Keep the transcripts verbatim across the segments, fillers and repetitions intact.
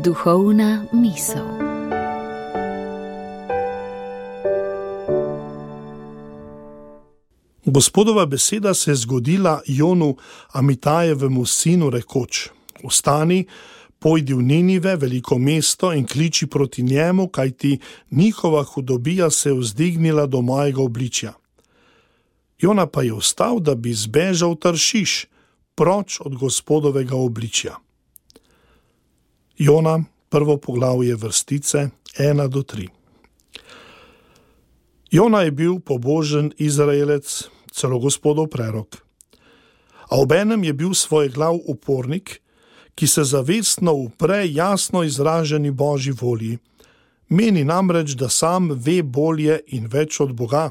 Duhovna misel. Gospodova beseda se je zgodila Jonu, Amitajevemu sinu, rekoč: Vstani, pojdi v Ninive, veliko mesto, in kliči proti njemu, kajti njihova hudobija se je vzdignila do mojega obličja. Jona pa je vstal, da bi zbežal Taršiš, proč od Gospodovega obličja. Jona, prvo poglavje, vrstice ena do tri. Jona je bil pobožen Izraelec, celo Gospodov prerok. A obenem je bil svoj glav upornik, ki se zavestno upre jasno izraženi Božji volji. Meni namreč, da sam ve bolje in več od Boga.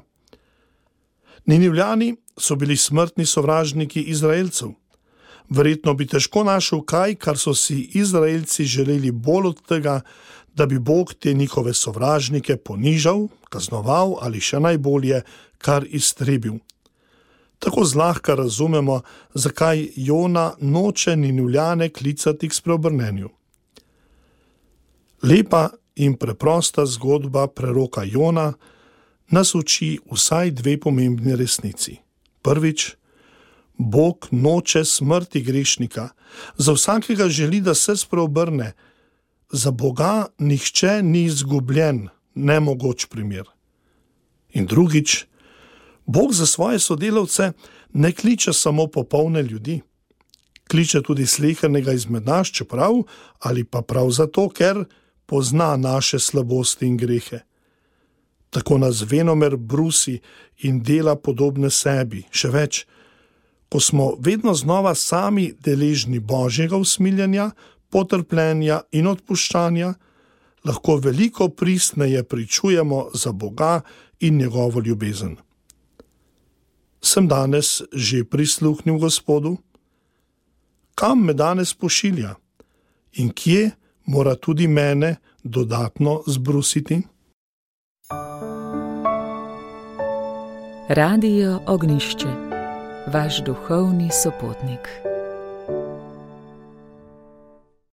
Ninivljani so bili smrtni sovražniki Izraelcev. Verjetno bi težko našel kaj, kar so si Izraelci želeli bolj od tega, da bi Bog te njihove sovražnike ponižal, kaznoval ali še najbolje, kar iztrebil. Tako zlahka razumemo, zakaj Jona noče Ninivljane klicati k spreobrnenju. Lepa in preprosta zgodba preroka Jona nas uči vsaj dve pomembni resnici. Prvič, Bog noče smrti grešnika, za vsakega želi, da se spreobrne. Za Boga nihče ni izgubljen, nemogoč primer. In drugič, Bog za svoje sodelavce ne kliče samo popolne ljudi. Kliče tudi slehernega izmed nas, čeprav ali pa prav zato, ker pozna naše slabosti in grehe. Tako nas venomer brusi in dela podobne sebi. Še več, ko smo vedno znova sami deležni Božjega usmiljenja, potrpljenja in odpuščanja, lahko veliko pristneje pričujemo za Boga in njegovo ljubezen. Sem danes že prisluhnil Gospodu? Kam me danes pošilja? In kje mora tudi mene dodatno zbrusiti? Radio Ognjišče, vaš duhovni sopotnik.